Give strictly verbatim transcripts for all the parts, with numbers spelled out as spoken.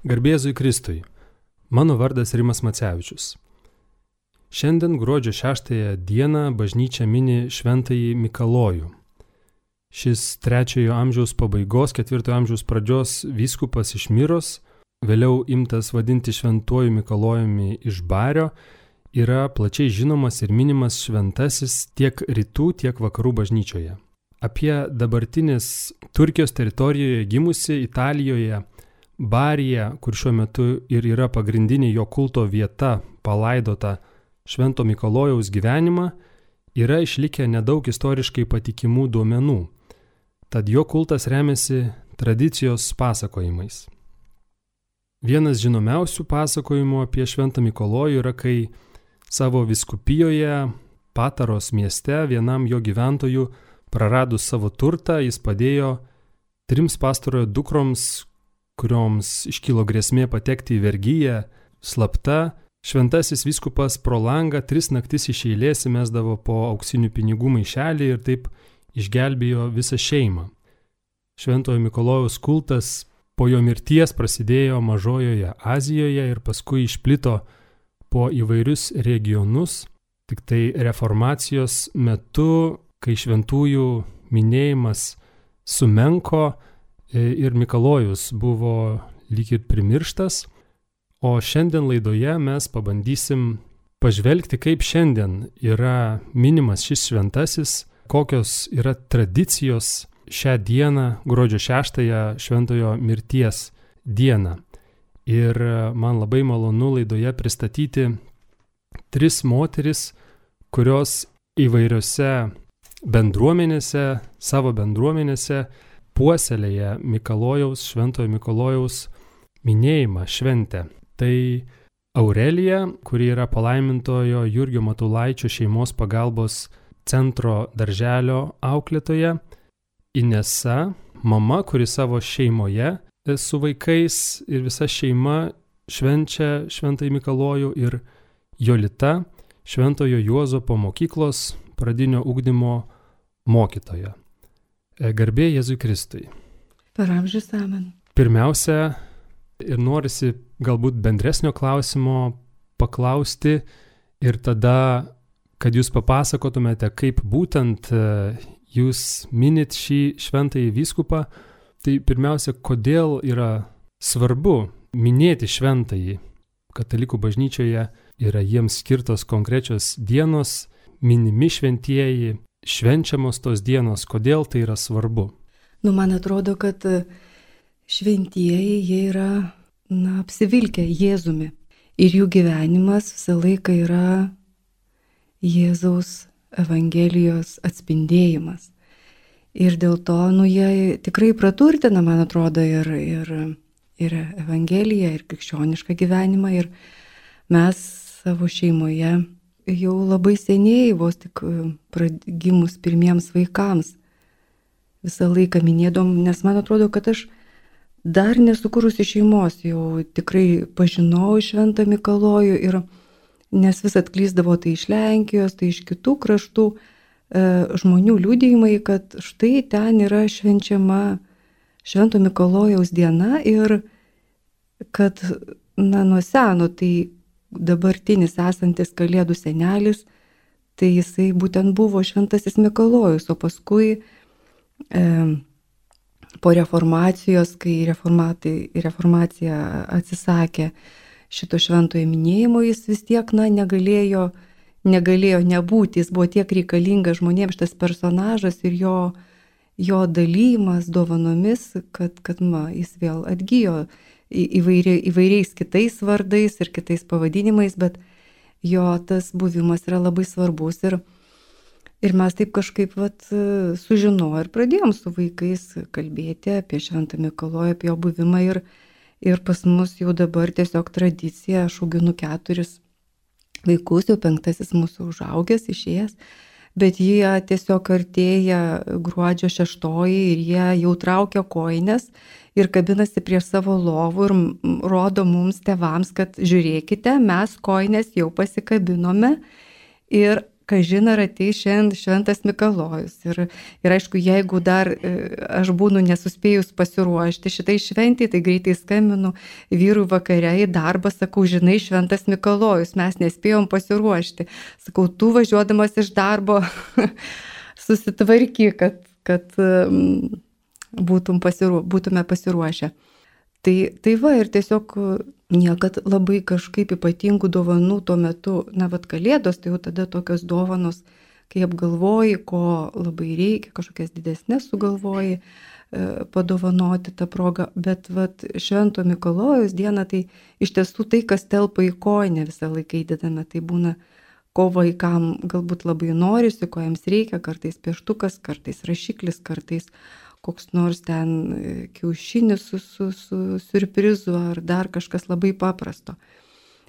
Garbė Jėzui Kristui. Mano vardas Rimas Macevičius. Šiandien gruodžio šeštąją dieną bažnyčia mini šventąjį Mikalojų. Šis trečiojo amžiaus pabaigos, ketvirtojo amžiaus pradžios vyskupas iš Miros, vėliau imtas vadinti šventuoju Mikalojumi iš Bario, yra plačiai žinomas ir minimas šventasis tiek rytų, tiek vakarų bažnyčioje. Apie dabartinės Turkijos teritorijoje gimusi Italijoje Barija, kur šiuo metu ir yra pagrindinė jo kulto vieta, palaidota Švento Mikalojaus gyvenimą, yra išlikę nedaug istoriškai patikimų duomenų, tad jo kultas remiasi tradicijos pasakojimais. Vienas žinomiausių pasakojimų apie Šventą Mikalojų yra, kai savo vyskupijoje Pataros mieste vienam jo gyventojų praradus savo turtą, jis padėjo trims pastarojo dukroms, kurioms iškilo grėsmė patekti į vergiją, slapta, šventasis vyskupas pro langą tris naktis iš eilės įmesdavo po auksinių pinigų maišelį ir taip išgelbėjo visą šeimą. Šventojo Mikalojaus kultas po jo mirties prasidėjo Mažojoje Azijoje ir paskui išplito po įvairius regionus. Tik tai reformacijos metu, kai šventųjų minėjimas sumenko, ir Mikalojus buvo lyg ir primirštas, o šiandien laidoje mes pabandysim pažvelgti, kaip šiandien yra minimas šis šventasis, kokios yra tradicijos šią dieną, gruodžio šeštąją šventojo mirties dieną. Ir man labai malonu laidoje pristatyti tris moteris, kurios įvairiose bendruomenėse, savo bendruomenėse, puoselėje Mikalojaus, Šventojo Mikalojaus minėjimą, šventę. Tai Aurelija, kuri yra palaimintojo Jurgio Matulaičio šeimos pagalbos centro darželio auklėtoja, Inesa, mama, kuri savo šeimoje su vaikais ir visa šeima švenčia Šventąjį Mikalojų, ir Jolita, Šventojo Juozapo mokyklos pradinio ugdymo mokytoja. Garbė Jėzui Kristui. Per amžius amen. Pirmiausia, ir norisi galbūt bendresnio klausimo paklausti ir tada, kad jūs papasakotumėte, kaip būtent jūs minit šį šventąjį vyskupą, tai pirmiausia, kodėl yra svarbu minėti šventąjį. Katalikų bažnyčioje yra jiems skirtos konkrečios dienos, minimi šventieji, švenčiamos tos dienos, kodėl tai yra svarbu? Nu, man atrodo, kad šventieji, jie yra, na, apsivilkę Jėzumi. Ir jų gyvenimas visą laiką yra Jėzaus Evangelijos atspindėjimas. Ir dėl to, nu, jie tikrai praturtina, man atrodo, ir, ir, ir Evangeliją, ir krikščionišką gyvenimą. Ir mes savo šeimoje jau labai seniai, vos tik gimus pirmiems vaikams, visą laiką minėdom, nes man atrodo, kad aš dar nesukūrusi šeimos jau tikrai pažinau Šventą Mikalojų, ir nes vis atklysdavo tai iš Lenkijos, tai iš kitų kraštų e, žmonių liudijimai, kad štai ten yra švenčiama Švento Mikalojaus diena ir kad, na, nuo seno tai dabartinis esantis Kalėdų senelis, tai jisai būtent buvo Šventasis Mikalojus, o paskui e, po reformacijos, kai reformacija atsisakė šito šventojo minėjimo, jis vis tiek, na, negalėjo, negalėjo nebūti, jis buvo tiek reikalingas žmonėms šitas personažas ir jo, jo dalymas dovanomis, kad, kad ma, jis vėl atgijo Įvairi, įvairiais kitais vardais ir kitais pavadinimais, bet jo tas buvimas yra labai svarbus. Ir, ir mes taip kažkaip vat, sužinojo ir pradėjom su vaikais kalbėti apie Šventą Mikalojų, apie jo buvimą. Ir, ir pas mus jau dabar tiesiog tradicija, aš auginu keturis vaikus, jau penktasis mūsų užaugęs, išėjęs. Bet jie tiesiog artėja gruodžio šeštoji ir jie jau traukia kojines ir kabinasi prie savo lovų ir rodo mums tėvams, kad žiūrėkite, mes kojines jau pasikabinome ir kažin ar ateis šiandien šventas Mikalojus. Ir, ir aišku, jeigu dar aš būnu nesuspėjus pasiruošti šitai šventį, tai greitai skambinu vyrui vakare į darbą, sakau, žinai, šventas Mikalojus, mes nespėjom pasiruošti. Sakau, tu važiuodamas iš darbo susitvarky, kad, kad būtum pasiruo, būtume pasiruošę. Tai, tai va, ir tiesiog niekad labai kažkaip ypatingų dovanų tuo metu, na, vat kalėdos, tai jau tada tokios dovanos, kai apgalvoji, ko labai reikia, kažkokias didesnės sugalvoji e, padovanoti tą progą, bet vat Švento Mikalojaus diena, tai iš tiesų tai, kas telpa į kojinę visą laiką įdedame, tai būna, ko vaikam galbūt labai norisi, ko jiems reikia, kartais pieštukas, kartais rašiklis, kartais koks nors ten kiaušinis su, su, su siurprizu ar dar kažkas labai paprasto.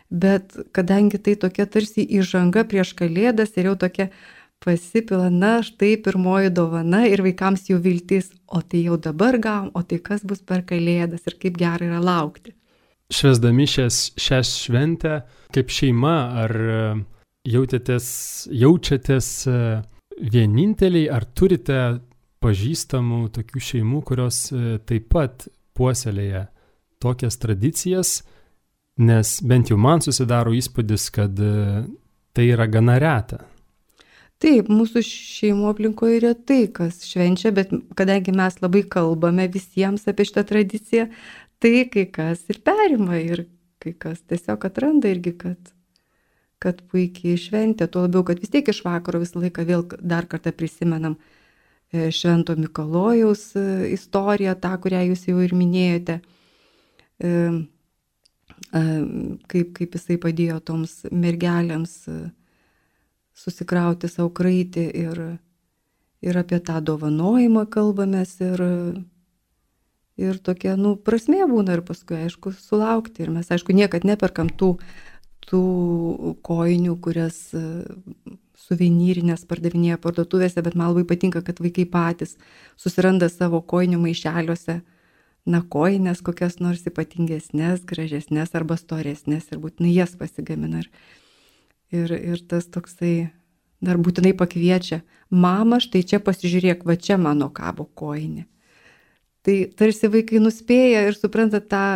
Bet kadangi tai tokia tarsi įžanga prieš kalėdas ir jau tokia pasipila, na, štai pirmoji dovana ir vaikams jau viltis, o tai jau dabar gavom, o tai kas bus per kalėdas ir kaip gerai yra laukti. Švęsdami šias, šią šventę, kaip šeima, ar jautėtės, jaučiatės vieninteliai, ar turite pažįstamų tokių šeimų, kurios taip pat puoselėja tokias tradicijas, nes bent jau man susidaro įspūdis, kad tai yra gana reta. Taip, mūsų šeimų aplinkoje yra tai, kas švenčia, bet kadangi mes labai kalbame visiems apie šitą tradiciją, tai kai kas ir perima ir kai kas tiesiog atranda irgi, kad, kad puikiai šventė, tuo labiau, kad vis tiek iš vakaro visą laiką vėl dar kartą prisimenam Švento Mikalojaus istoriją, tą, kurią jūs jau ir minėjote, kaip, kaip jisai padėjo toms mergelėms susikrauti savo kraitį ir, ir apie tą dovanojimą kalbamės ir, ir tokia, nu, prasmė būna ir paskui, aišku, sulaukti. Ir mes, aišku, niekad neperkam tų, tų kojinių, kurias suvenyrinės pardavinėja parduotuvėse, bet man labai patinka, kad vaikai patys susiranda savo kojinių maišeliuose, na, kojinės kokias nors ypatingesnės, gražesnės arba storesnės ir būtinai jas pasigamina. Ir, ir tas toksai dar būtinai pakviečia, mama, štai čia pasižiūrėk, va čia mano kabo kojinė. Tai tarsi vaikai nuspėja ir supranta tą,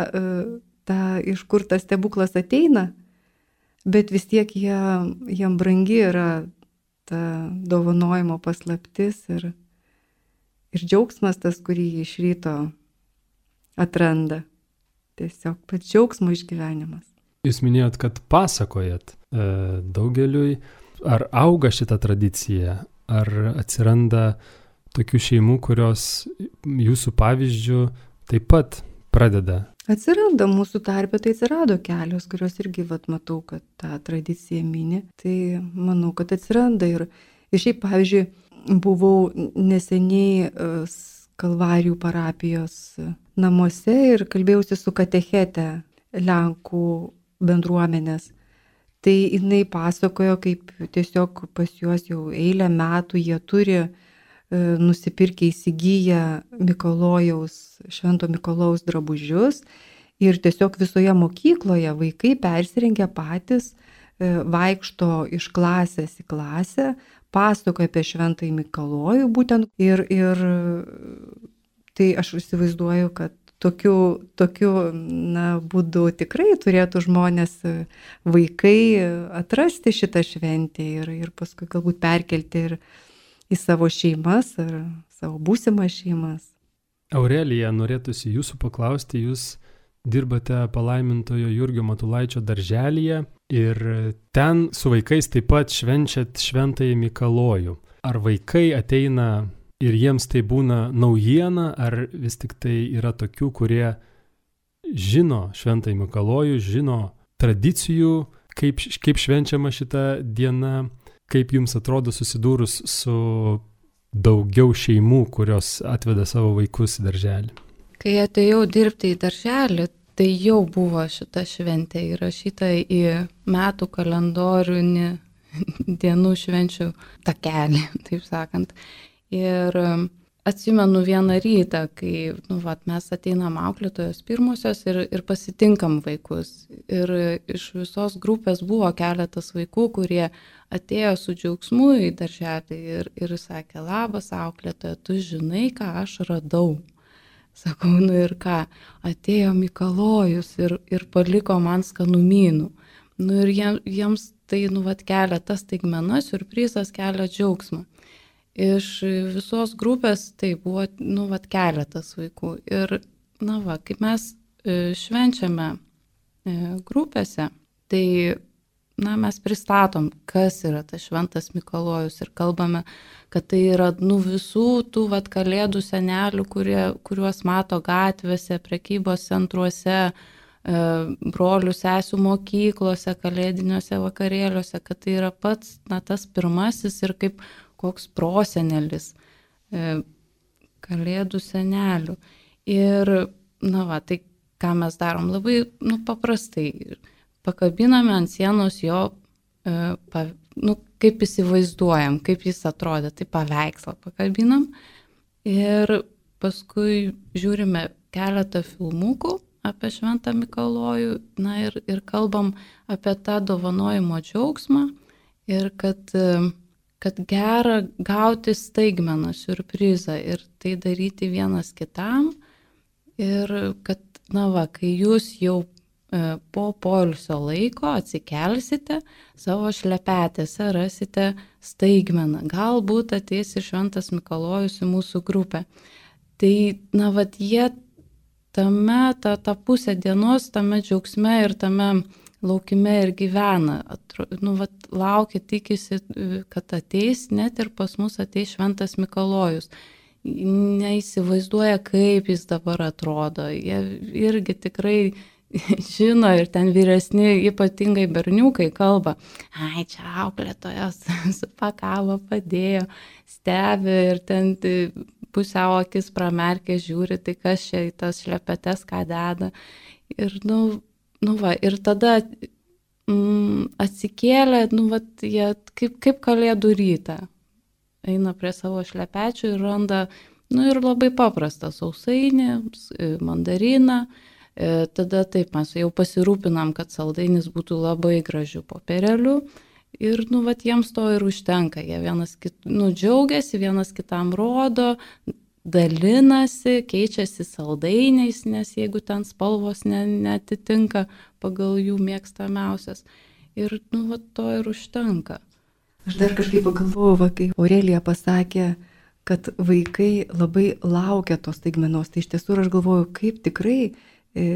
tą iš kur tas stebuklas ateina, bet vis tiek jie, jiem brangi yra ta dovanojimo paslaptis ir, ir džiaugsmas tas, kurį iš ryto atranda. Tiesiog pats džiaugsmo išgyvenimas. Jūs minėjot, kad pasakojat e, daugeliui, ar auga šita tradicija, ar atsiranda tokių šeimų, kurios jūsų pavyzdžių taip pat pradeda. Atsiranda mūsų tarpe, tai atsirado kelios, kurios irgi, vat, matau, kad tą tradiciją mini. Tai manau, kad atsiranda. Ir, ir šiaip, pavyzdžiui, buvau neseniai Kalvarijų parapijos namuose ir kalbėjausi su katechete Lenkų bendruomenės. Tai jinai pasakojo, kaip tiesiog pas juos jau eilę metų jie turi nusipirkę įsigiję Mikalojaus, Švento Mikalojaus drabužius ir tiesiog visoje mokykloje vaikai persirengia patys, vaikšto iš klasės į klasę, pasakoja apie Šventąjį Mikalojų būtent ir, ir tai aš įsivaizduoju, kad tokiu, tokiu na, būdu tikrai turėtų žmonės, vaikai atrasti šitą šventę ir, ir paskui galbūt perkelti ir į savo šeimas ar savo būsimas šeimas. Aurelija, norėtųsi jūsų paklausti, jūs dirbate palaimintojo Jurgio Matulaičio darželyje ir ten su vaikais taip pat švenčiat Šventąjį Mikalojų. Ar vaikai ateina ir jiems tai būna naujiena, ar vis tik tai yra tokių, kurie žino Šventąjį Mikalojų, žino tradicijų, kaip, kaip švenčiama šita diena? Kaip jums atrodo susidūrus su daugiau šeimų, kurios atveda savo vaikus į darželį? Kai atėjau dirbti į darželį, tai jau buvo šita šventė įrašyta į metų kalendorių dienų švenčių takelį, taip sakant. Ir atsimenu vieną rytą, kai nu, vat, mes ateinam auklėtojos pirmosios ir, ir pasitinkam vaikus. Ir iš visos grupės buvo keletas vaikų, kurie atėjo su džiaugsmu į darželį ir, ir sakė, labas auklėtoja, tu žinai, ką aš radau. Sakau, nu ir ką, atėjo Mikalojus ir, ir paliko man skanumynų. Nu ir jie, jiems tai nu, vat, kelia tas staigmena, siurprizas kelia džiaugsmą. Iš visos grupės tai buvo nu, vat, keletas vaikų. Ir na, va, kaip mes švenčiame grupėse, tai na, mes pristatom, kas yra tas šventas Mikalojus ir kalbame, kad tai yra nu, visų tų vat, kalėdų senelių, kurie, kuriuos mato gatvėse, prekybos centruose, brolių sesių mokyklose, kalėdiniuose vakarėliuose, kad tai yra pats na, tas pirmasis ir kaip koks prosenelis kalėdų senelių. Ir, na va, tai ką mes darom labai nu, paprastai. Pakabiname ant sienos jo, pa, nu, kaip įsivaizduojam, kaip jis atrodė, tai paveikslą pakabinam. Ir paskui žiūrime keletą filmukų apie šventą Mikalojų, na ir, ir kalbam apie tą dovanojimo džiaugsmą ir kad kad gera gauti staigmeną, siurprizą ir tai daryti vienas kitam ir kad, na va, kai jūs jau e, po poilsio laiko atsikelsite, savo šlepetėse rasite staigmeną. Galbūt ateis ir šventas Mikalojus į mūsų grupę. Tai, na va, jie tame, ta, ta pusė dienos, tame džiaugsme ir tame laukime ir gyvena, Atro, nu, vat, laukia, tikisi, kad ateis, net ir pas mus ateis šventas Mikalojus. Neįsivaizduoja, kaip jis dabar atrodo. Jie irgi tikrai žino ir ten vyresni, ypatingai berniukai kalba, ai, čia auklėtojas supakavo, padėjo, stebi ir ten pusiau akis pramerkė, žiūri, tai kas čia į tas šlepetes ką deda. Ir, nu, Nu va, ir tada mm, atsikėlė, nu va, jie kaip, kaip kalėdų rytą. Eina prie savo šlepečių ir randa, nu ir labai paprastą sausainį, mandariną. E, tada taip mes jau pasirūpinam, kad saldainis būtų labai gražių popierėlių. Ir, nu va, jiems to ir užtenka. Jie vienas kit, nu, džiaugiasi, vienas kitam rodo, dalinasi, keičiasi saldainiais, nes jeigu ten spalvos ne, netitinka pagal jų mėgstamiausias. Ir nu, va, to ir užtenka. Aš dar kažkaip pagalvojau, va, kai Aurelija pasakė, kad vaikai labai laukia tos staigmenos. Tai iš tiesų aš galvoju, kaip tikrai e,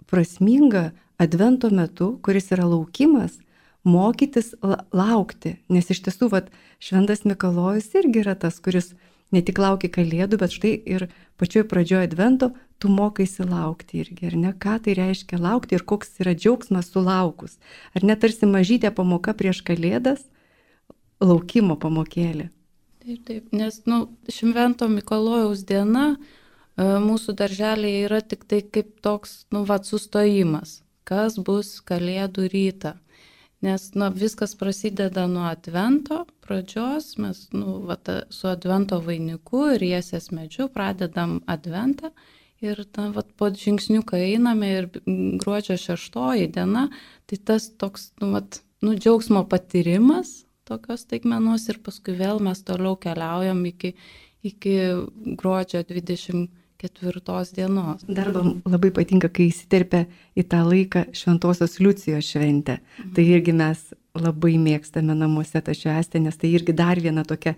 prasminga advento metu, kuris yra laukimas, mokytis la- laukti. Nes iš tiesų va, šventas Mikalojus irgi yra tas, kuris ne tik laukia kalėdų, bet štai ir pačioj pradžioje advento tu mokaisi laukti irgi, ar ne? Ką tai reiškia laukti ir koks yra džiaugsmas sulaukus. Ar ne tarsi mažytė pamoka prieš kalėdas, laukimo pamokėlė. Taip, taip, nes, nu, švento Mikalojaus diena mūsų darželėje yra tik tai kaip toks, nu, va, sustojimas. Kas bus kalėdų rytą? Nes nu, viskas prasideda nuo advento pradžios, mes nu, va, ta, su advento vainiku ir Jiesės medžiu pradedam adventą ir ta, va, po žingsniuką einame ir gruodžio šeštoji diena, tai tas toks nu, va, nu, džiaugsmo patyrimas tokios staigmenos ir paskui vėl mes toliau keliaujam iki, iki gruodžio dvidešimt ketvirtos dienos. Dar labai patinka, kai įsiterpia į tą laiką Šventosios Liucijos šventę. Mhm. Tai irgi mes labai mėgstame namuose tą švęstę, nes tai irgi dar viena tokia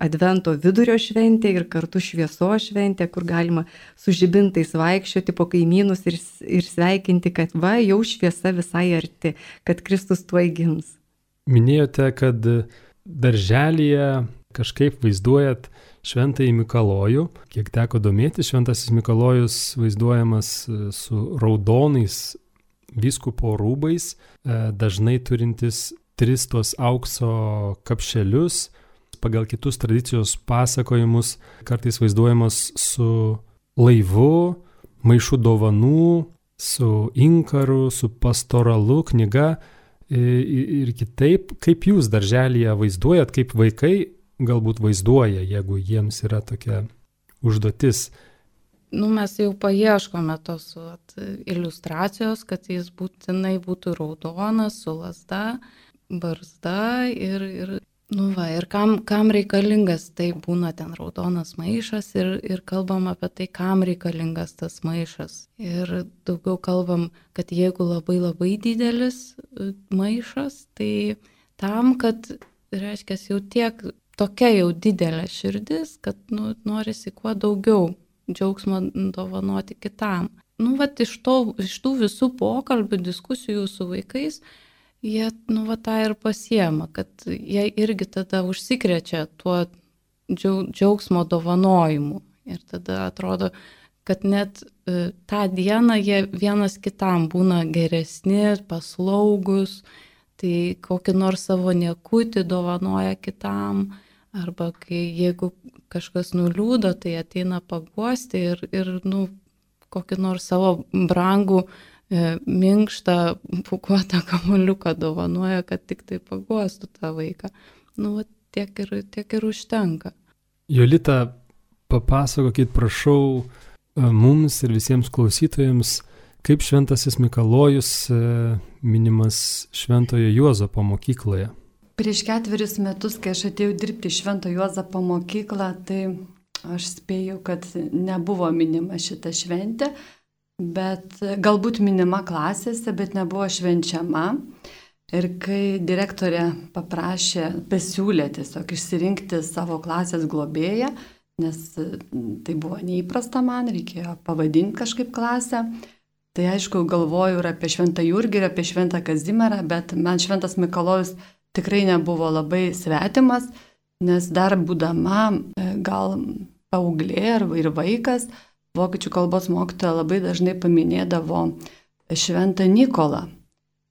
advento vidurio šventė ir kartu šviesos šventė, kur galima su žibintais vaikščioti po kaimynus ir, ir sveikinti, kad va, jau šviesa visai arti, kad Kristus tuoj gims. Minėjote, kad darželyje kažkaip vaizduojat Šventąjį Mikalojų. Kiek teko domėtis, Šventasis Mikalojus vaizduojamas su raudonais vyskupo rūbais, dažnai turintis tris tos aukso kapšelius. Pagal kitus tradicijos pasakojimus kartais vaizduojamas su laivu, maišu dovanų, su inkaru, su pastoralu, knyga ir kitaip. Kaip jūs darželyje vaizduojat, kaip vaikai galbūt vaizduoja, jeigu jiems yra tokia užduotis. Nu, mes jau paieškome tos vat, iliustracijos, kad jis būtinai būtų raudonas, su lazda, barzda ir, ir, nu va, ir kam, kam reikalingas, tai būna ten raudonas maišas ir, ir kalbam apie tai, kam reikalingas tas maišas. Ir daugiau kalbam, kad jeigu labai labai didelis maišas, tai tam, kad, reiškia, jau tiek tokia jau didelė širdis, kad nu, norisi kuo daugiau džiaugsmo dovanoti kitam. Nu, vat, iš, to, iš tų visų pokalbių, diskusijų su vaikais, jie, nu, va, tą ir pasiema, kad jie irgi tada užsikrečia tuo džiaugsmo dovanojimu. Ir tada atrodo, kad net e, tą dieną jie vienas kitam būna geresni, paslaugus, tai kokį nors savo niekutį dovanoja kitam, arba kai jeigu kažkas nuliūdo, tai ateina paguosti ir, ir nu, kokį nors savo brangų, e, minkštą, pūkuotą kamuoliuką dovanoja, kad tik tai paguostų tą vaiką. Nu, va, tiek ir, tiek ir užtenka. Jolita, papasakokit, prašau, mums ir visiems klausytojams, kaip šventasis Mikalojus minimas Šventojo Juozapo mokykloje. Prieš ketverius metus, kai aš atėjau dirbti į Švento Juozapo mokyklą, tai aš spėjau, kad nebuvo minima šita šventė, bet galbūt minima klasėse, bet nebuvo švenčiama. Ir kai direktorė paprašė, pasiūlė tiesiog išsirinkti savo klasės globėją, nes tai buvo neįprasta man, reikėjo pavadinti kažkaip klasę, tai aišku, galvoju ir apie Šventą Jurgį, ir apie Šventą Kazimierą, bet man Šventas Mikalojus tikrai nebuvo labai svetimas, nes dar būdama gal paauglė ir vaikas, vokiečių kalbos mokytoja labai dažnai paminėdavo Šventą Nikolą.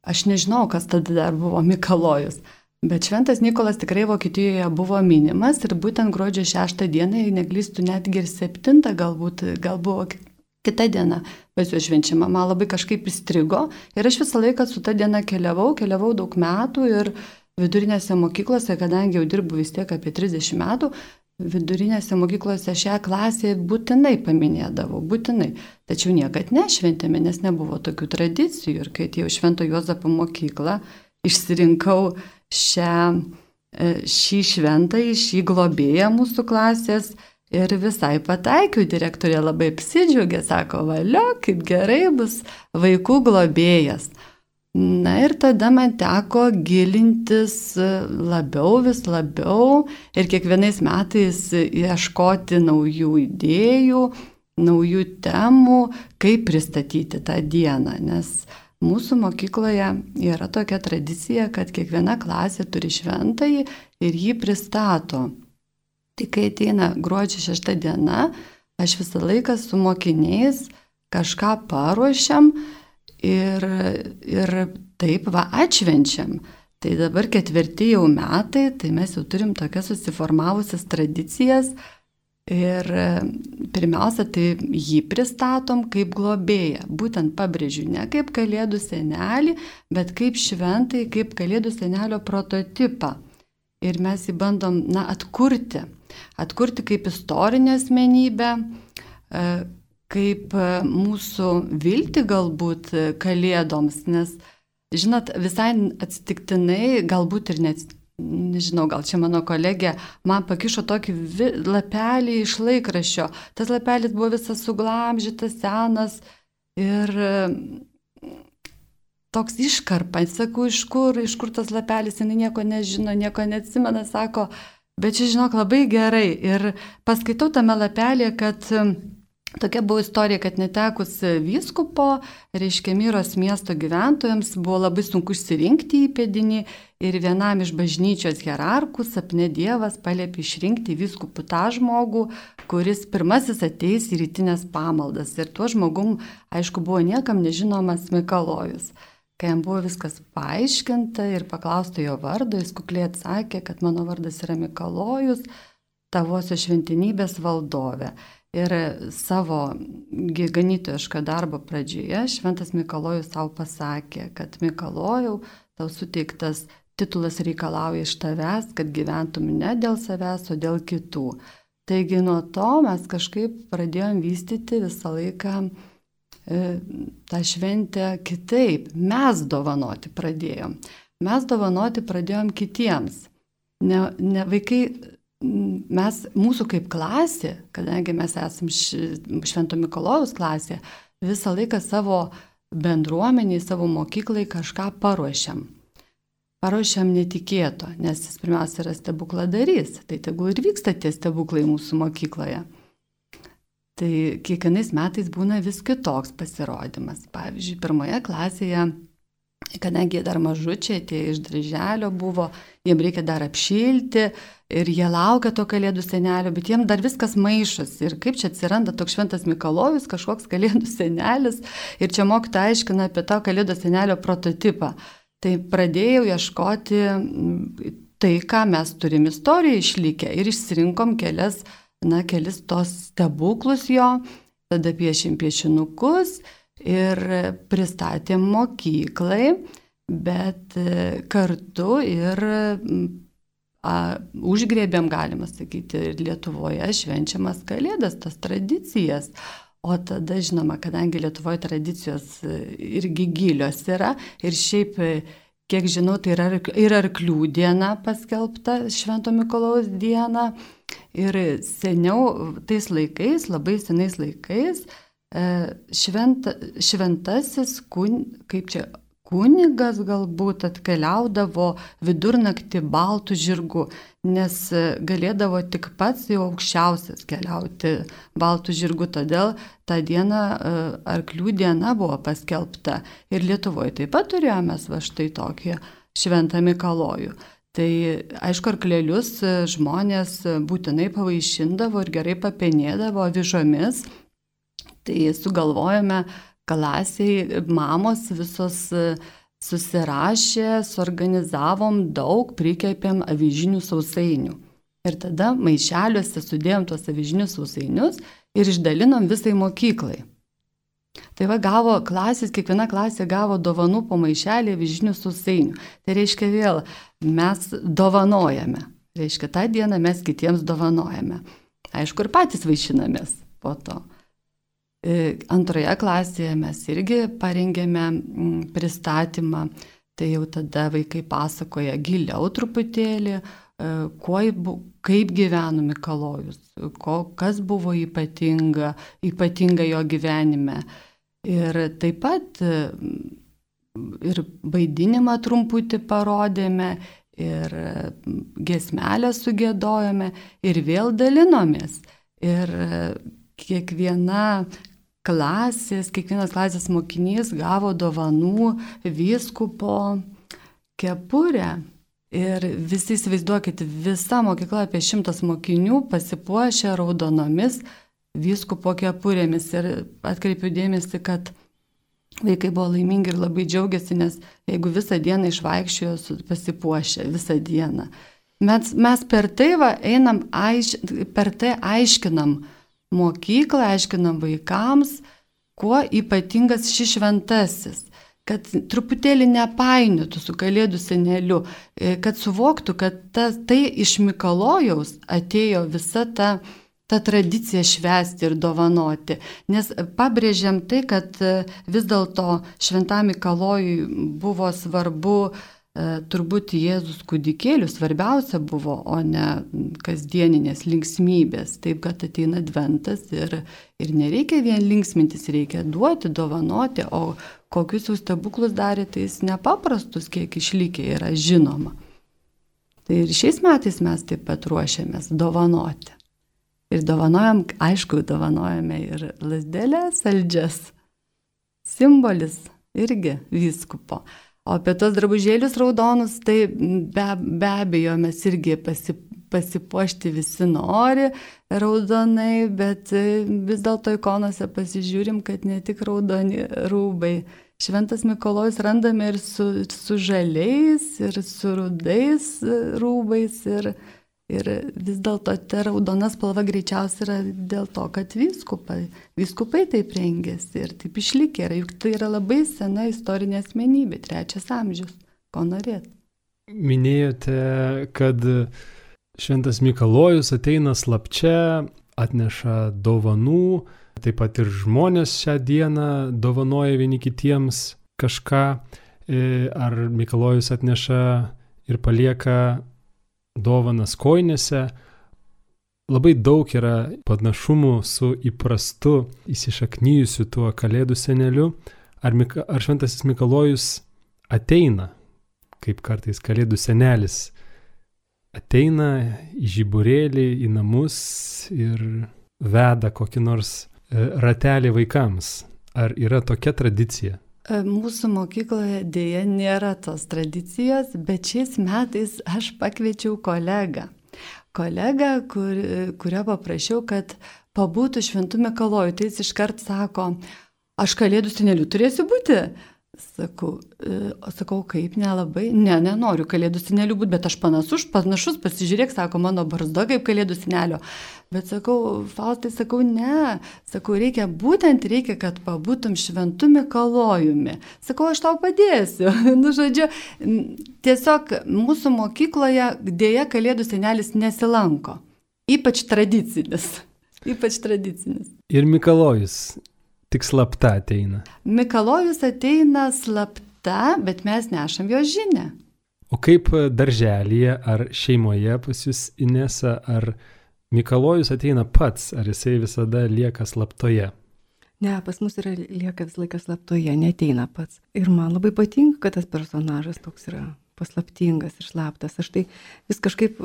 Aš nežinau, kas tada dar buvo Mikalojus, bet Šventas Nikolas tikrai Vokietijoje buvo minimas ir būtent gruodžio šeštą dieną, jei neklystų, netgi ir septintą galbūt, gal buvo kita diena pas juos švenčiama. Man labai kažkaip įstrigo ir aš visą laiką su ta diena keliavau, keliavau daug metų ir vidurinėse mokyklose, kadangi jau dirbu vis tiek apie trisdešimt metų, vidurinėse mokyklose šią klasę būtinai paminėdavau, būtinai. Tačiau niekad nešventėme, nes nebuvo tokių tradicijų. Ir kai atėjau Švento Juozapo mokyklą, išsirinkau šią, šį šventąjį, šį globėją mūsų klasės ir visai pataikiau. Direktorė labai apsidžiaugė, sako, valio, kaip gerai bus vaikų globėjas. Na ir tada man teko gilintis labiau, vis labiau ir kiekvienais metais ieškoti naujų idėjų, naujų temų, kaip pristatyti tą dieną, nes mūsų mokykloje yra tokia tradicija, kad kiekviena klasė turi šventąjį ir jį pristato. Tai kai ateina gruodžio šešta diena, aš visą laiką su mokiniais kažką paruošiam, Ir, ir taip va atšvenčiam. Tai dabar ketvirti jau metai, tai mes jau turim tokias susiformavusias tradicijas ir pirmiausia, tai jį pristatom kaip globėją. Būtent pabrėžiu, ne kaip Kalėdų senelį, bet kaip šventai, kaip Kalėdų senelio prototipą. Ir mes jį bandom, na, atkurti. Atkurti kaip istorinę asmenybę, kaip mūsų viltį galbūt Kalėdoms, nes, žinot, visai atsitiktinai, galbūt ir net, nežinau, gal čia mano kolegė, man pakišo tokį vi, lapelį iš laikraščio. Tas lapelis buvo visas suglamžytas, senas ir toks iškarpa. Sakau, iš kur, iš kur tas lapelis, jinai nieko nežino, nieko neatsimena, sako, bet čia, žinok, labai gerai. Ir paskaitau tame lapelėje, kad tokia buvo istorija, kad netekus vyskupo, reiškia Myros miesto gyventojams, buvo labai sunku išsirinkti įpėdinį ir vienam iš bažnyčios hierarchų sapne Dievas paliepė išrinkti vyskupų tą žmogų, kuris pirmasis ateis į rytinės pamaldas. Ir tuo žmogum, aišku, buvo niekam nežinomas Mikalojus. Kai jam buvo viskas paaiškinta ir paklausta jo vardo, jis kukliai atsakė, kad mano vardas yra Mikalojus, tavosios šventenybės valdovė. Ir savo ganytojiško darbo pradžioje Šventas Mikalojus savo pasakė, kad Mikalojau, tau suteiktas titulas reikalauja iš tavęs, kad gyventum ne dėl savęs, o dėl kitų. Taigi nuo to mes kažkaip pradėjom vystyti visą laiką e, tą šventę kitaip. Mes dovanoti pradėjom. Mes dovanoti pradėjom kitiems. Ne, ne vaikai, mes, mūsų kaip klasė, kadangi mes esam Švento Mikalojaus klasė, visą laiką savo bendruomeniai, savo mokyklai kažką paruošiam. Paruošiam netikėto, nes jis pirmiausia yra stebukladarys, tai tegul ir vyksta tie stebuklai mūsų mokykloje. Tai kiekvienais metais būna vis kitoks pasirodymas. Pavyzdžiui, pirmoje klasėje, kadangi jie dar mažučiai, tie iš darželio buvo, jiem reikia dar apšilti ir jie laukia to Kalėdų senelio, bet jiem dar viskas maišosi. Ir kaip čia atsiranda toks Šventas Mikalojus, kažkoks Kalėdų senelis, ir čia mokytoja aiškina apie tą Kalėdų senelio prototipą. Tai pradėjau ieškoti tai, ką mes turim istoriją išlikę ir išsirinkom kelias, na, kelis tos stebuklus jo, tada piešim piešinukus ir pristatėm mokyklai, bet kartu ir a, užgrėbėm, galima sakyti, ir Lietuvoje švenčiamas Kalėdas, tas tradicijas. O tada, žinoma, kadangi Lietuvoje tradicijos irgi gilios yra ir šiaip, kiek žinau, tai yra ir arklių diena paskelbta, Švento Mikalojaus diena. Ir seniau, tais laikais, labai senais laikais, šventa, šventasis, kun, kaip čia, kunigas galbūt atkeliaudavo vidurnaktį baltų žirgų, nes galėdavo tik pats jau aukščiausias keliauti baltų žirgų, todėl tą dieną arklių diena buvo paskelbta. Ir Lietuvoje taip pat turėjome va štai tokį Šventą Mikalojų. Tai aišku, arklelius žmonės būtinai pavaišindavo ir gerai papenėdavo avižomis. Tai sugalvojame klasiai, mamos visos susirašė, suorganizavom daug, prikepėm avižinių sausainių. Ir tada maišeliuose sudėjom tuos avižinius sausainius ir išdalinom visai mokyklai. Tai va gavo klasės, kiekviena klasė gavo dovanų po maišelį avižinių sausainių. Tai reiškia vėl, mes dovanojame. Reiškia, tą dieną mes kitiems dovanojame. Aišku, ir patys vaišinamės po to. Antroje klasėje mes irgi parengėme pristatymą, tai jau tada vaikai pasakoja giliau truputėlį, kuo, kaip gyveno Mikalojus, ko, kas buvo ypatinga, ypatinga jo gyvenime. Ir taip pat ir vaidinimą trumputį parodėme, ir giesmelę sugėdojome, ir vėl dalinomės. Ir kiekviena klasės, kiekvienas klasės mokinys gavo dovanų vyskupo kepurę. Ir visi įsivaizduokit, visa mokykla apie šimtas mokinių pasipuošė raudonomis vyskupo kepurėmis. Ir atkreipiu dėmesį, kad vaikai buvo laimingi ir labai džiaugiasi, nes jeigu visą dieną išvaikščiojo pasipuošę, visą dieną. Mes, mes per tai va, einam, aiš, per tai aiškinam mokyklą, aiškinam vaikams, kuo ypatingas šis šventasis, kad truputėlį nepainiotų su Kalėdų seneliu, kad suvoktų, kad ta, tai iš Mikalojaus atėjo visa ta, ta tradicija švęsti ir dovanoti. Nes pabrėžiam tai, kad vis dėlto Šventam Mikalojui buvo svarbu turbūt Jėzus kūdikėlių svarbiausia buvo, o ne kasdieninės linksmybės. Taip, kad ateina adventas ir, ir nereikia vien linksmintis, reikia duoti, dovanoti, o kokius jau stebuklus darė, tai jis nepaprastus, kiek išlikę yra žinoma. Tai ir šiais metais mes taip pat ruošiamės dovanoti. Ir dovanojam, aišku, dovanojame ir lazdelės saldžias. Simbolis irgi vyskupo. O apie tos drabužėlius raudonus, tai be, be abejo mes irgi pasi, pasipuošti visi nori raudonai, bet vis dėlto ikonose pasižiūrim, kad ne tik raudoni rūbai. Šventas Mikalojus randame ir su, su žaliais, ir su rudais rūbais, ir, ir vis dėlto ta raudona spalva greičiausiai yra dėl to, kad vyskupai, vyskupai taip rengėsi ir taip išlikė. Juk tai yra labai sena istorinė asmenybė, trečias amžius. Ko norėt? Minėjote, kad Šventas Mikalojus ateina slapčia, atneša dovanų, taip pat ir žmonės šią dieną dovanoja vieni kitiems kažką, ar Mikalojus atneša ir palieka dovanas kojinėse. Labai daug yra panašumų su įprastu įsišaknyjusiu tuo Kalėdų seneliu. Ar, Mika, ar Šventasis Mikalojus ateina, kaip kartais Kalėdų senelis, ateina į žiburėlį, į namus ir veda kokį nors ratelį vaikams. Ar yra tokia tradicija? Mūsų mokykloje dėja nėra tos tradicijos, bet šiais metais aš pakviečiau kolegą. Kolegą, kur, kurio paprašiau, kad pabūtų Šventų Mikalojų. Tai jis iškart sako, aš Kalėdų seneliu turėsiu būti. Sakau, sakau, kaip nelabai, ne, nenoriu Kalėdų seneliu būti, bet aš panašus, panašus, pasižiūrėk, sako, mano barzda kaip Kalėdų senelio. Bet sakau, Faustai, sakau, ne, sakau, reikia, būtent reikia, kad pabūtum Šventu Mikalojumi. Sakau, aš tau padėsiu. Nu, žodžiu, tiesiog mūsų mokykloje dėja Kalėdų senelis nesilanko. Ypač tradicinis. Ypač tradicinis. Ir Mikalojus tik slapta ateina. Mikalojus ateina slapta, bet mes nešam jo žinią. O kaip darželyje ar šeimoje pas jūs, Inesa, ar Mikalojus ateina pats, ar jisai visada lieka slaptoje? Ne, pas mus yra lieka vis laikas slaptoje, neteina pats. Ir man labai patinka, kad tas personažas toks yra paslaptingas ir slaptas. Aš tai vis kažkaip,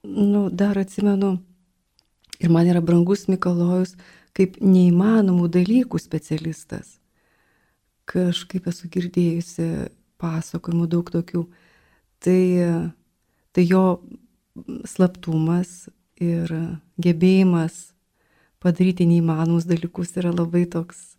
nu, dar atsimenu, ir man yra brangus Mikalojus, kaip neįmanomų dalykų specialistas. Kažkaip esu girdėjusi pasakojimų daug tokių. Tai, tai jo slaptumas ir gebėjimas padaryti neįmanomus dalykus yra labai toks,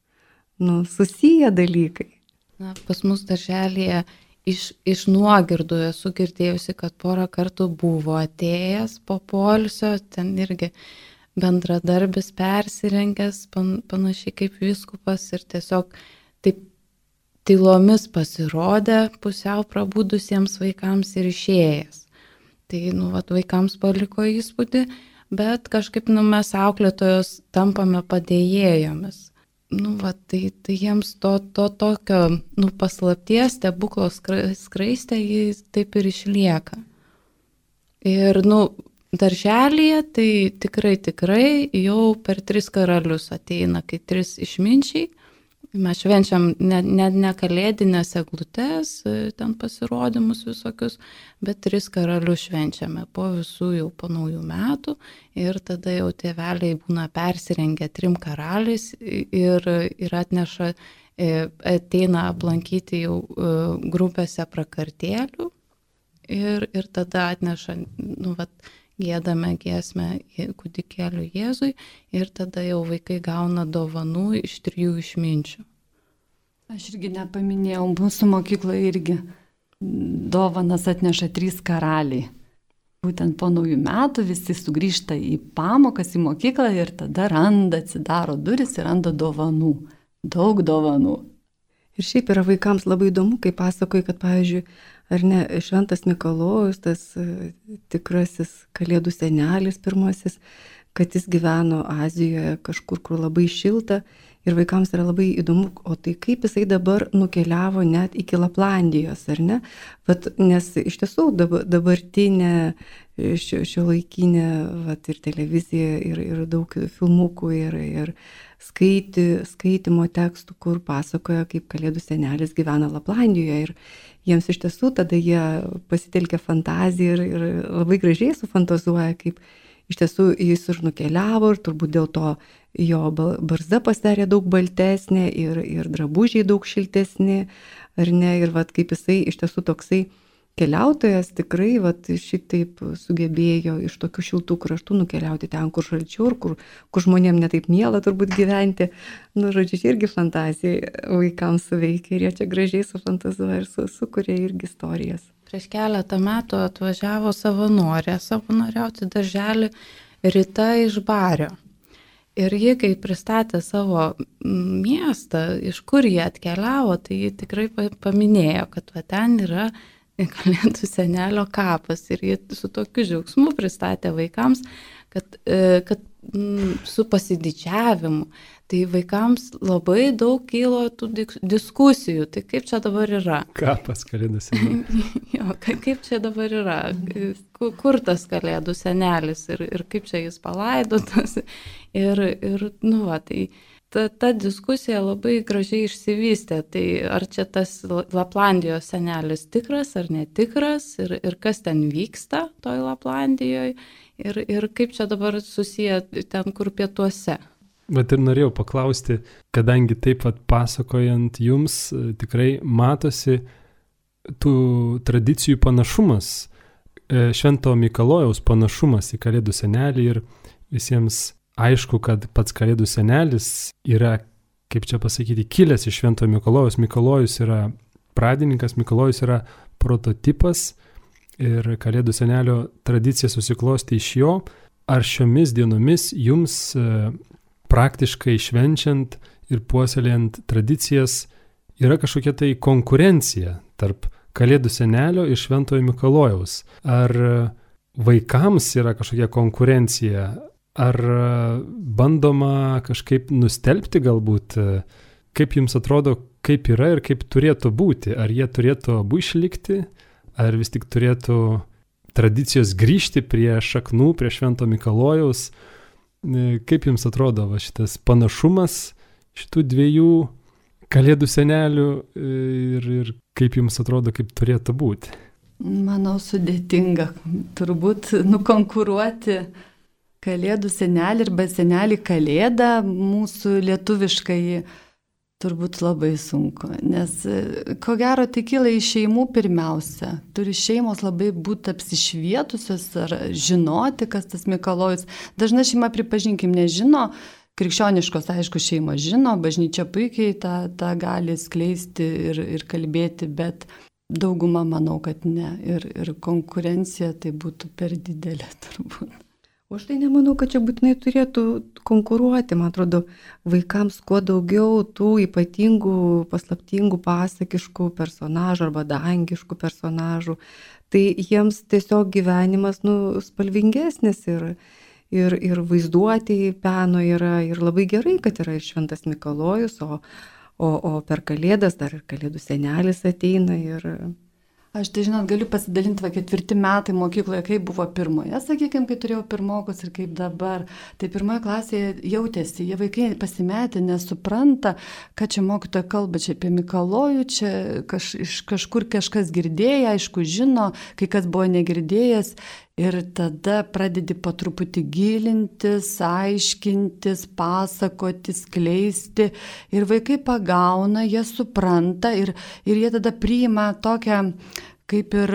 nu, susiję dalykai. Na, pas mus darželėje iš, iš nuogirdų esu girdėjusi, kad porą kartų buvo atėjęs po poilsio, ten irgi bendradarbis persirengęs, pan, panašiai kaip vyskupas ir tiesiog taip tylomis pasirodė pusiau prabudusiems vaikams ir išėjęs. Tai, nu, vat, vaikams paliko įspūdį, bet kažkaip, nu, mes auklėtojos tampame padėjėjomis. Nu, vat, tai, tai jiems to, to tokio, nu, paslapties, stebuklo skraistė, jis taip ir išlieka. Ir, nu, darželyje tai tikrai, tikrai jau per tris karalius ateina, kai tris išminčiai. Mes švenčiam ne, ne, ne kalėdinės eglutes, ten pasirodymus visokius, bet tris karalius švenčiame po visų jau po naujų metų ir tada jau tėveliai būna persirengę trim karaliais ir, ir atneša, ateina aplankyti jau grupėse prakartėlių ir, ir tada atneša, nu, vat, giedame giesmę kūdikėliui Jėzui ir tada jau vaikai gauna dovanų iš trijų išminčių. Aš irgi nepaminėjau, mūsų mokykloje irgi dovanas atneša trys karaliai. Būtent po naujų metų visi sugrįžta į pamokas, į mokyklą ir tada randa, atsidaro duris ir randa dovanų. Daug dovanų. Ir šiaip yra vaikams labai įdomu, kai pasakoja, kad, pavyzdžiui, ar ne, Šventas Mikalojus, tas tikrasis Kalėdų senelis pirmasis, kad jis gyveno Azijoje kažkur, kur labai šilta ir vaikams yra labai įdomu, o tai kaip jisai dabar nukeliavo net iki Laplandijos, ar ne? Vat, nes iš tiesų dabartinė šio, šio laikinė vat, ir televizija, ir, ir daug filmukų, ir, ir skaiti, skaitimo tekstų, kur pasakoja, kaip Kalėdų senelis gyvena Laplandijoje ir jiems iš tiesų tada jie pasitelkia fantaziją ir, ir labai gražiai sufantazuoja, kaip iš tiesų jis ir nukeliavo ir turbūt dėl to jo barzda pasidarė daug baltesnė ir, ir drabužiai daug šiltesni, ar ne, ir vat, kaip jisai iš tiesų toksai keliautojas tikrai vat, šitaip sugebėjo iš tokių šiltų kraštų nukeliauti ten, kur šalčiau ir kur, kur žmonėm netaip miela turbūt gyventi. Nu, žodžiu, irgi fantazija vaikams suveikia ir jie čia gražiai sufantazuoja ir su, sukuria irgi istorijas. Prieš keletą metų atvažiavo savanorė, savanoriauti darželį Rita iš Bario. Ir ji, kai pristatė savo miestą, iš kur jie atkeliavo, tai ji tikrai paminėjo, kad va, ten yra Kalėdų senelio kapas. Ir jie su tokiu džiaugsmu pristatė vaikams, kad, kad su pasididžiavimu. Tai vaikams labai daug kilo tų diskusijų. Tai kaip čia dabar yra? Kapas Kalėdų senelis. Jo, kaip čia dabar yra? Kur tas Kalėdų senelis ir, ir kaip čia jis palaidotas? Ir, ir nu va, tai... Ta, ta diskusija labai gražiai išsivystė, tai ar čia tas Laplandijos senelis tikras ar netikras ir, ir kas ten vyksta toj Laplandijoje ir, ir kaip čia dabar susiję ten, kur pietuose. Bet ir norėjau paklausti, kadangi taip pat pasakojant jums tikrai matosi tų tradicijų panašumas, Švento Mikalojaus panašumas į Kalėdų senelį ir visiems aišku, kad pats Kalėdų senelis yra, kaip čia pasakyti, kilęs iš Švento Mikalojaus. Mikalojus yra pradininkas, Mikalojus yra prototipas ir Kalėdų senelio tradicija susiklosti iš jo. Ar šiomis dienomis jums praktiškai švenčiant ir puoselėjant tradicijas yra kažkokia tai konkurencija tarp Kalėdų senelio ir Šventojo Mikalojaus? Ar vaikams yra kažkokia konkurencija? Ar bandoma kažkaip nustelbti galbūt, kaip jums atrodo, kaip yra ir kaip turėtų būti? Ar jie turėtų abu išlikti, ar vis tik turėtų tradicijos grįžti prie šaknų, prie Švento Mikalojaus? Kaip jums atrodo va, šitas panašumas šitų dviejų Kalėdų senelių ir, ir kaip jums atrodo, kaip turėtų būti? Manau, sudėtinga turbūt nukonkuruoti Kalėdų senelį arba senelį Kalėdą mūsų lietuviškai turbūt labai sunku, nes ko gero tai kyla iš šeimų pirmiausia. Turi šeimos labai būti apsišvietusios ar žinoti, kas tas Mikalojus. Dažna šeima, pripažinkim, nežino, krikščioniškos, aišku, šeimos žino, bažnyčia puikiai tą, tą gali skleisti ir, ir kalbėti, bet dauguma manau, kad ne. Ir, ir konkurencija tai būtų per didelė turbūt. O aš tai nemanau, kad čia būtinai turėtų konkuruoti. Man atrodo, vaikams kuo daugiau tų ypatingų, paslaptingų, pasakiškų personažų arba dangiškų personažų, tai jiems tiesiog gyvenimas nu, spalvingesnis ir, ir, ir vaizduotėjai peno yra. Ir labai gerai, kad yra ir Šventas Mikalojus, o, o, o per Kalėdas dar ir Kalėdų senelis ateina ir... Aš tai, žinot, galiu pasidalinti, va, ketvirti metai mokykloje, kaip buvo pirmoje, sakykime, kai turėjau pirmokus ir kaip dabar. Tai pirmoje klasėje jautėsi, jie vaikai pasimetė, nesupranta, kad čia mokytoja kalba čia apie Mikalojų, čia kaž, iš kažkur kažkas girdėjo, aišku, žino, kai kas buvo negirdėjęs. Ir tada pradedi po truputį gilintis, aiškintis, pasakoti, skleisti. Ir vaikai pagauna, jie supranta ir, ir jie tada priima tokią kaip ir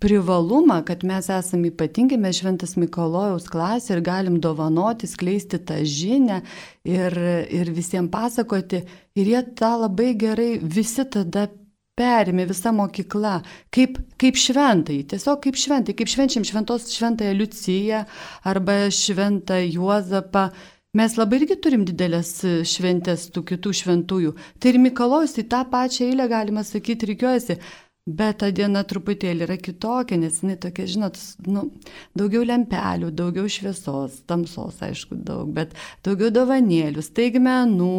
privalumą, kad mes esame ypatingi, mes Šventas Mikalojaus klasė ir galim dovanoti, skleisti tą žinią ir, ir visiems pasakoti. Ir jie tą labai gerai visi tada perėmė, visa mokykla, kaip, kaip šventai, tiesiog kaip šventai, kaip švenčiam šventos šventąją Liuciją arba šventą Juozapą. Mes labai irgi turim didelės šventės tų kitų šventųjų. Tai ir Mikalojus į tą pačią eilę, galima sakyti, reikiuojasi. Bet ta diena truputėlį yra kitokia, nes jinai tokia, žinot, nu, daugiau lempelių, daugiau šviesos, tamsos, aišku, daug, bet daugiau dovanėlių, staigmenų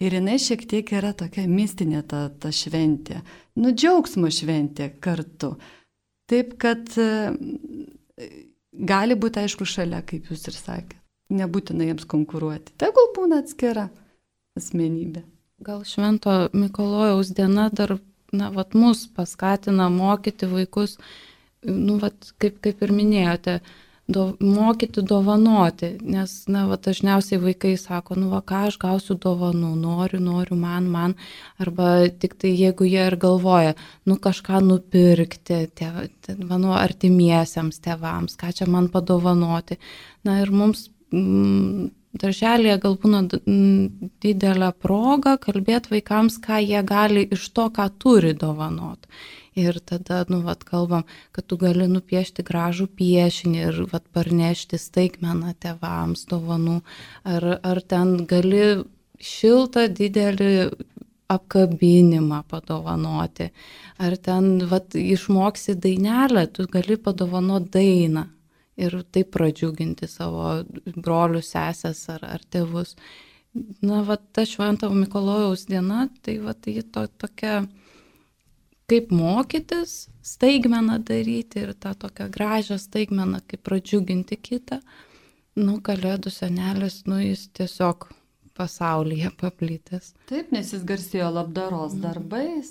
ir jinai šiek tiek yra tokia mistinė ta, ta šventė, nu, džiaugsmo šventė kartu. Taip, kad gali būti, aišku, šalia, kaip jūs ir sakėte, nebūtina jiems konkuruoti. Tegul būna atskira asmenybė. Gal Švento Mikalojaus diena dar na, vat, mus paskatina mokyti vaikus, nu, vat, kaip, kaip ir minėjote, do, mokyti dovanoti, nes, na, vat, dažniausiai vaikai sako, nu, va, ką aš gausiu dovanų, noriu, noriu, man, man, arba tik tai jeigu jie ir galvoja, nu, kažką nupirkti, tėv, mano artimiesiems tėvams, ką čia man padovanoti, na, ir mums mm, darželėje gal būna didelė proga kalbėti vaikams, ką jie gali iš to, ką turi dovanot. Ir tada, nu, vat, kalbam, kad tu gali nupiešti gražų piešinį ir, vat, parnešti staigmeną tėvams dovanų. Ar, ar ten gali šiltą, didelį apkabinimą padovanoti. Ar ten vat, išmoksi dainelę, tu gali padovanoti dainą ir taip pradžiuginti savo brolius, sesės ar, ar tėvus. Na, vat, ta Švento Mikalojaus diena, tai vat, ji to, tokia, kaip mokytis, staigmeną daryti ir tą tokią gražią staigmeną, kaip pradžiuginti kitą. Nu, Kalėdų senelis, nu, jis tiesiog pasaulyje paplitęs. Taip, nes jis garsėjo labdaros darbais.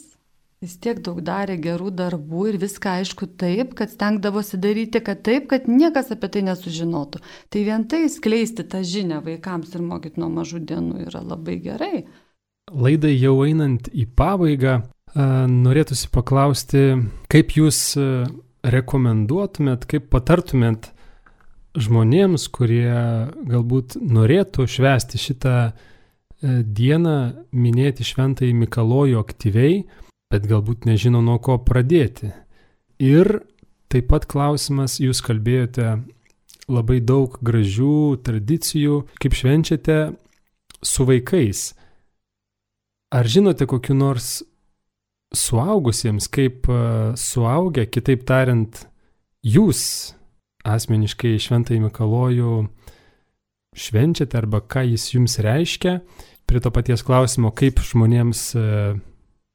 Jis tiek daug darė gerų darbų ir viską aišku taip, kad stengdavosi daryti, kad taip, kad niekas apie tai nesužinotų. Tai vien tai skleisti tą žinią vaikams ir mokyti nuo mažų dienų yra labai gerai. Laidai jau einant į pabaigą, norėtųsi paklausti, kaip jūs rekomenduotumėt, kaip patartumėt žmonėms, kurie galbūt norėtų švęsti šitą dieną, minėti Šventąjį Mikalojų aktyviai, bet galbūt nežino nuo ko pradėti. Ir taip pat klausimas, jūs kalbėjote labai daug gražių tradicijų, kaip švenčiate su vaikais. Ar žinote kokiu nors suaugusiems, kaip suaugę, kitaip tariant, jūs asmeniškai Šventąjį Mikalojų švenčiate arba ką jis jums reiškia, prie to paties klausimo, kaip žmonėms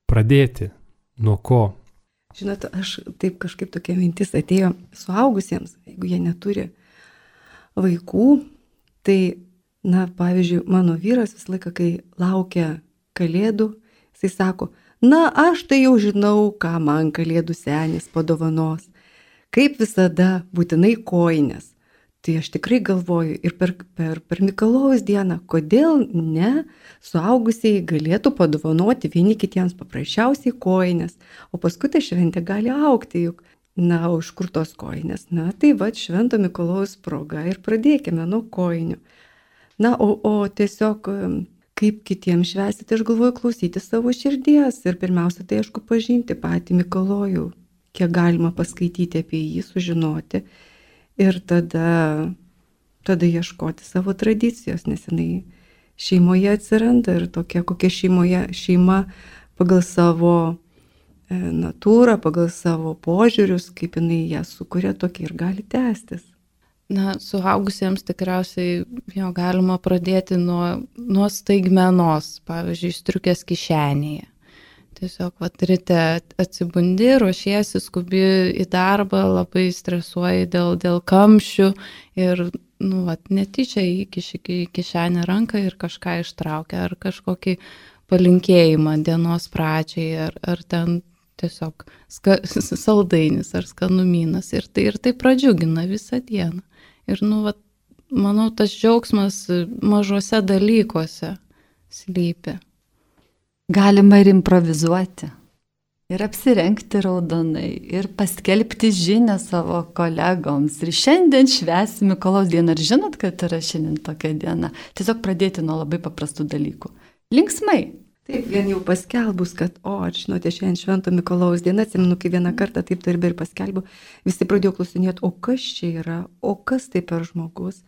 pradėti, nuo ko? Žinote, aš taip kažkaip tokia mintis atėjo suaugusiems, jeigu jie neturi vaikų, tai, na, pavyzdžiui, mano vyras visą laiką, kai laukia Kalėdų, jisai sako, na, aš tai jau žinau, ką man Kalėdų senis padovanos. Kaip visada, būtinai kojines. Tai aš tikrai galvoju ir per, per, per Mikalojaus dieną, kodėl ne suaugusieji galėtų padovanoti vieni kitiems paprasčiausiai kojines, o paskui ta šventė gali augti juk. Na, o iš kur tos kojines? Na, tai va, Švento Mikalojaus proga ir pradėkime nuo kojinių. Na, o, o tiesiog kaip kitiems švęsti, tai aš galvoju klausyti savo širdies ir pirmiausia, tai aišku pažinti patį Mikalojų, kiek galima paskaityti apie jį, sužinoti ir tada, tada ieškoti savo tradicijos, nes jinai šeimoje atsiranda ir tokia, kokia šeimoje, šeima pagal savo e, natūrą, pagal savo požiūrius, kaip jinai ją sukuria, tokia ir gali tęstis. Na, suaugusiems tikriausiai jo galima pradėti nuo, nuo staigmenos, pavyzdžiui, striukės kišenėje. Tiesiog vat, ryte atsibundi, ruošiesi, skubi į darbą, labai stresuoji dėl, dėl kamščių ir nu, vat, netyčia įkiši į kišenę ranką ir kažką ištraukia, ar kažkokį palinkėjimą dienos pradžiai, ar, ar ten tiesiog ska, saldainis ar skanumynas. Ir tai, ir tai pradžiugina visą dieną. Ir nu, vat, manau, tas džiaugsmas mažose dalykuose slypi. Galima ir improvizuoti, ir apsirengti raudonai, ir paskelbti žinią savo kolegoms. Ir šiandien švęsim Mikalojaus dieną. Ar žinot, kad yra šiandien tokia diena? Tiesiog pradėti nuo labai paprastų dalykų. Linksmai. Taip, vien jau paskelbus, kad, o, ar žinote, šiandien Švento Mikalojaus diena, atsimenu, kai vieną kartą taip darbe ir paskelbiu, visi pradėjo klausinėti, o kas čia yra, o kas tai per žmogus.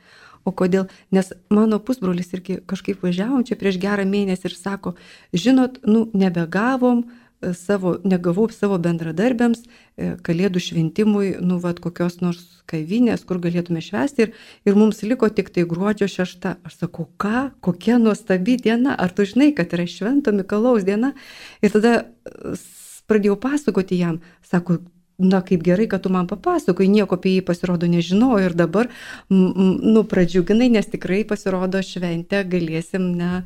O kodėl? Nes mano pusbrolis irgi kažkaip važiavom čia prieš gerą mėnesį ir sako, žinot, nu, nebegavom savo, negavau savo bendradarbiams Kalėdų šventimui, nu, vat, kokios nors kavinės, kur galėtume švęsti ir, ir mums liko tik tai gruodžio šešta. Aš sakau, ką? Kokia nuostabi diena? Ar tu žinai, kad yra Švento Mikalojaus diena? Ir tada pradėjau pasakoti jam, sako, na, kaip gerai, kad tu man papasakoji, nieko apie jį pasirodo nežinau ir dabar, nu, pradžiuginai, nes tikrai pasirodo šventę galėsim, ne,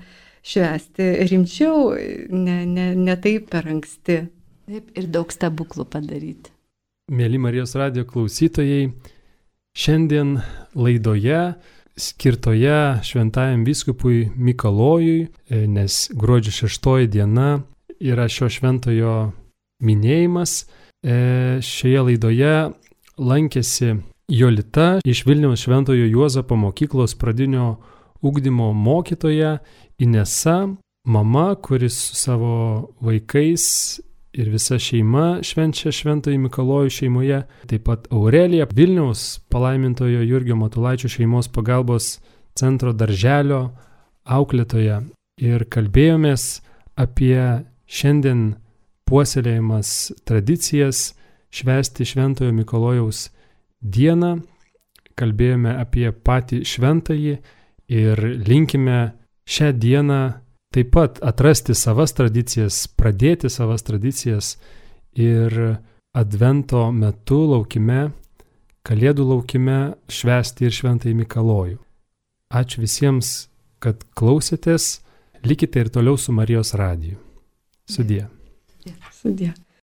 švęsti rimčiau, ne, ne, ne taip per anksti. Taip, ir daug stebuklų padaryti. Mėly Marijos radijo klausytojai, šiandien laidoje skirtoje šventajam vyskupui Mikalojui, nes gruodžio šeštoji diena yra šio šventojo minėjimas. Šioje laidoje lankėsi Jolita iš Vilniaus Šventojo Juozapo mokyklos pradinio ugdymo mokytoja, Inesa, mama, kuris su savo vaikais ir visa šeima švenčia Šventąjį Mikalojų šeimoje, taip pat Aurelija, Vilniaus palaimintojo Jurgio Matulaičio šeimos pagalbos centro darželio auklėtoja. Ir kalbėjomės apie šiandien puoselėjimas tradicijas švęsti Šventojo Mikalojaus dieną, kalbėjome apie patį šventąjį ir linkime šią dieną taip pat atrasti savas tradicijas, pradėti savas tradicijas ir Advento metu laukime, Kalėdų laukime švęsti ir Šventąjį Mikalojų. Ačiū visiems, kad klausėtės, likite ir toliau su Marijos radiju. Sudie. Sudie.